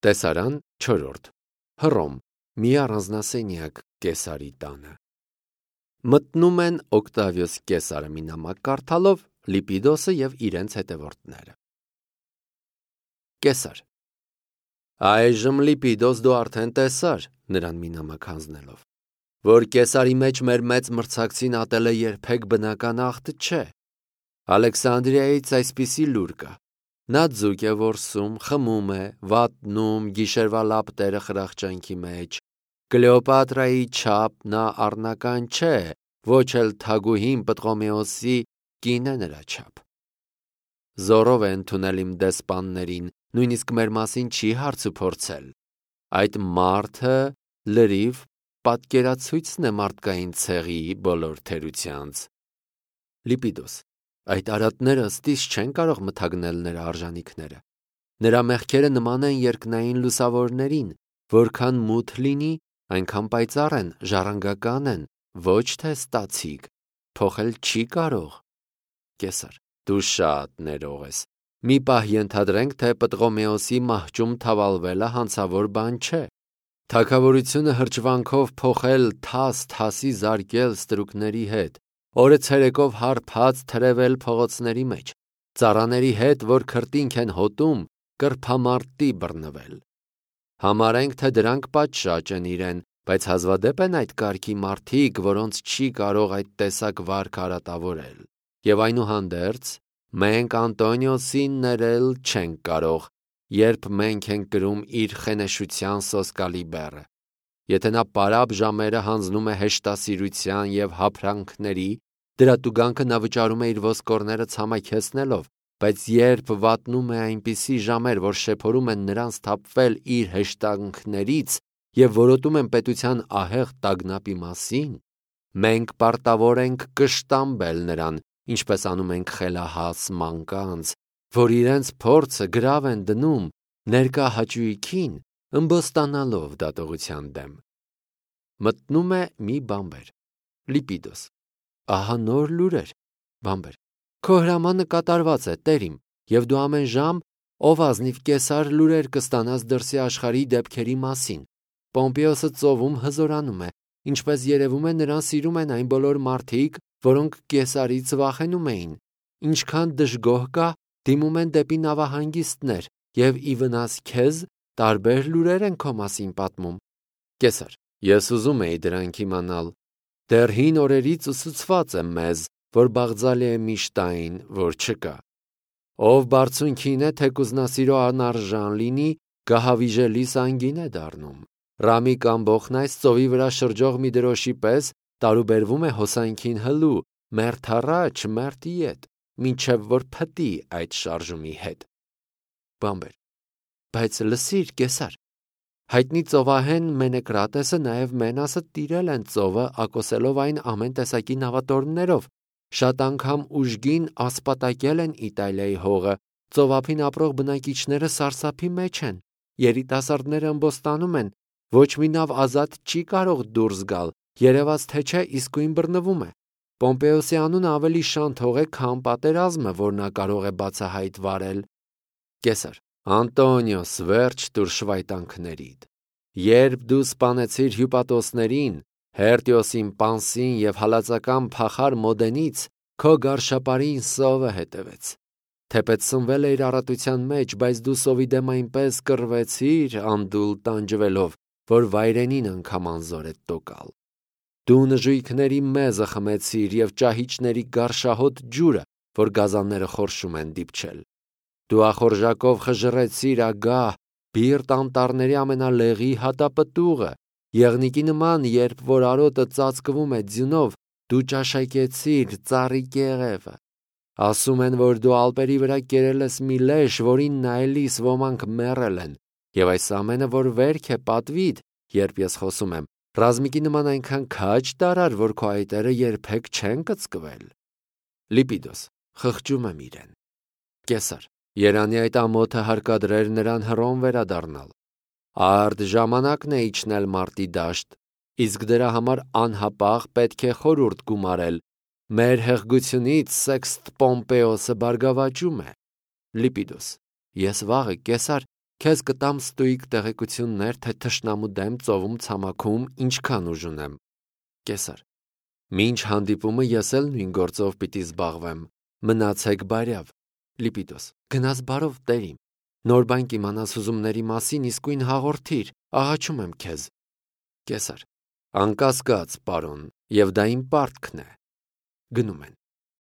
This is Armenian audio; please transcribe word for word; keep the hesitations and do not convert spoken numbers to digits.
Տեսարան չորրորդ Հռոմ, մի առանձնասենյակ Կեսարի տանը։ Մտնում են Օկտավիոս Կեսարը մի նամակ կարդալով, Լիպիդոսը և իրենց հետևորդները։ Կեսար. Այժմ Լիպիդոս դու արդեն տեսար, նրան մի նամակ հանձնելով, որ Կեսարի մեջ մեր մեծ մրցակցին ատելը երբեք բնական ախտ չէ։ Ալեքսանդրիայից այսպիսի լուր կա. նա ձուկ է որսում, խմում է, վատնում գիշերվա լապտերը խրախճանքի մեջ, Կլեոպատրայի չափ նա առնական չէ, ոչ էլ թագուհին Պտղոմեոսի կին է նրա չափ։ Զորով է ընդունել իմ դեսպաններին, նույնիսկ մեր մասին չի հարց ու փորձել։ Այդ մարդը լրիվ պատկերացույցն է մարդկային ցեղի բոլոր թերությանց։ Լիպիդոս. այդ արատները ըստիս չեն կարող մթագնել նրա արժանիքները։ Նրա մեղքերը նման են երկնային լուսավորներին, որքան մութ լինի, այնքան պայծառ են, ժառանգական են, ոչ թե ստացիկ, փոխել չի կարող։ Կեսար. դու շատ ներող ես։ Մի պահ ենթադրենք, թե Պտղոմեոսի մահճում թավալվելը հանցավոր բան չէ։ Թագավորությունը հրճվանքով փոխել, թաս թասի զարկել ստրուկների հետ, օրը ցերեկով հարբած թրևել փողոցների մեջ, ծառաների հետ, որ քրտինք են հոտում, կրբամարտի բռնվել։ Համարենք, թե դրանք պատշաճ են իրեն, բայց հազվադեպ են այդ կարգի մարդիկ, որոնց չի կարող այդ տեսակ վարք արատավորել։ Եվ այնուհանդերձ, մենք Անտոնիոսին ներել չենք կարող, երբ մենք ենք կրում իր խենեշության սոսկալի բեռը։ Եթե նա պարապ ժամերը հանձնում է հեշտասիրության և հափրանքների, դրա տուգանքը նա վճարում է իր ոսկորները ցամաքեցնելով, բայց երբ վատնում է այնպիսի ժամեր, որ շեփորում են նրան սթափվել իր հեշտանքներից և որոտում են պետության ահեղ տագնապի մասին, մենք պարտավոր ենք կշտամբել նրան, ինչպես անում ենք խելահաս մանկանց, որ իրենց փորձը գրավ են դնում ներկա հաճույքին, ըմբոստանալով դատողության դեմ։ Մտնում է մի բանբեր։ Լիպիդոս. ահա նոր լուրեր։ Բանբեր. քո հրամանը կատարված է, տերիմ, և դու ամեն ժամ, ով ազնիվ Կեսար, լուրեր կստանաս դրսի աշխարհի դեպքերի մասին։ Պոմպեոսը ծովում հզորանում է, ինչպես երևում է, նրան սիրում են այն բոլոր մարդիկ, որոնք Կեսարից վախենում էին։ Ինչքան դժգոհ կա, դիմում են դեպի նավահանգիստներ, և ի վնաս քեզ տարբեր լուրեր են քո մասին պատմում։ Կեսար. ես ուզում էի դրանք իմանալ։ Դեռ հին օրերից ուսուցված է մեզ, որ Բաղձալի է միշտ այն, որ չկա։ Ով բարձունքին է, թեկուզնասիրո անարժան լինի, գահավիժելիս անգին է դառնում։ Ռամիկ ամբոխն այս ծովի վրա շրջող մի դրոշի պես տարուբերվում է հոսանքին հլու, մերթ առաջ, մերթ ետ, մինչև որ փտի այդ շարժումի հետ։ Բանբեր. բայց լսիր, Կեսար, հայտնի ծովահեն Մենեկրատեսը նաև Մենասը տիրել են ծովը, ակոսելով այն ամեն տեսակի նավատորմներով, շատ անգամ ուժգին ասպատակել են Իտալիայի հողը, ծովափին ապրող բնակիչները սարսափի մեջ են, երիտասարդները ըմբոստանում են, ոչ մի նավ ազատ չի կարող դուրս գալ, երևաց թե չէ իսկույն բռնվում է։ Պոմպեոսի անունը ավելի շանթող է, քան պատերազմը, որ նա կարող է բացահայտ վարել։ Կեսար. Անտոնիոս, վերջ տուր շվայտանքներիդ։ Երբ դու սպանեցիր հյուպատոսներին, Հերտիոսին Պանսին և հալածական փախար Մոդենից, քո գարշապարին սովը հետևեց։ Թեպետ սնվել է իր առատության մեջ, բայց դու սովի դեմ այնպես կռվեցիր, անդուլ տանջվելով, որ վայրենին անգամ անզոր է տոկալ։ Դու նժույգների մեզը խմեցիր և ճահիճների գարշահոտ ջուրը, որ գազանները խորշում են դիպչել։ Դու ախորժակով խժռեցիր ագահ, բիրտ անտառների ամենալեղի հատապտուղը, եղնիկի նման, երբ որ արոտը ծածկվում է ձյունով, դու ճաշակեցիր ծառի կեղևը։ Ասում են, որ դու ալպերի վրա կերել ես մի լեշ, որին նայելիս ոմանք մեռել են, և այս ամենը, որ վերք է պատվիդ, երբ ես խոսում եմ, ռազմիկի նման այնքան քաջ տարար, որ քո այտերը երբեք չեն կծկվել։ Լիպիդոս. խղճում եմ իրեն։ Կեսար. Երանի այդ ամոթը հարկադրեր նրան Հռոմ վերադառնալ։ Արդ ժամանակն է իջնել մարտի դաշտ, իսկ դրա համար անհապաղ պետք է խորհուրդ գումարել։ Մեր հեղգությունից Սեքստ Պոմպեոսը բարգավաճում է։ Լիպիդոս. ես վաղը, Կեսար, Քեզ կտամ ստույգ տեղեկություններ, թե թշնամու դեմ ծովում ցամաքում ինչքան ուժ ունեմ։ Կեսար. Մինչ հանդիպումը ես էլ նույն գործով պիտի զբաղվեմ։ Մնացեք բարյավ։ Լիպիդոս. Գնաս բարով, տերիմ։ Նոր բան կիմանաս ուզումների մասին, իսկույն հաղորդիր, աղաչում եմ քեզ։ Կեսար. Անկասկած, պարոն, եւ դա իմ պարտքն է։ Գնում են։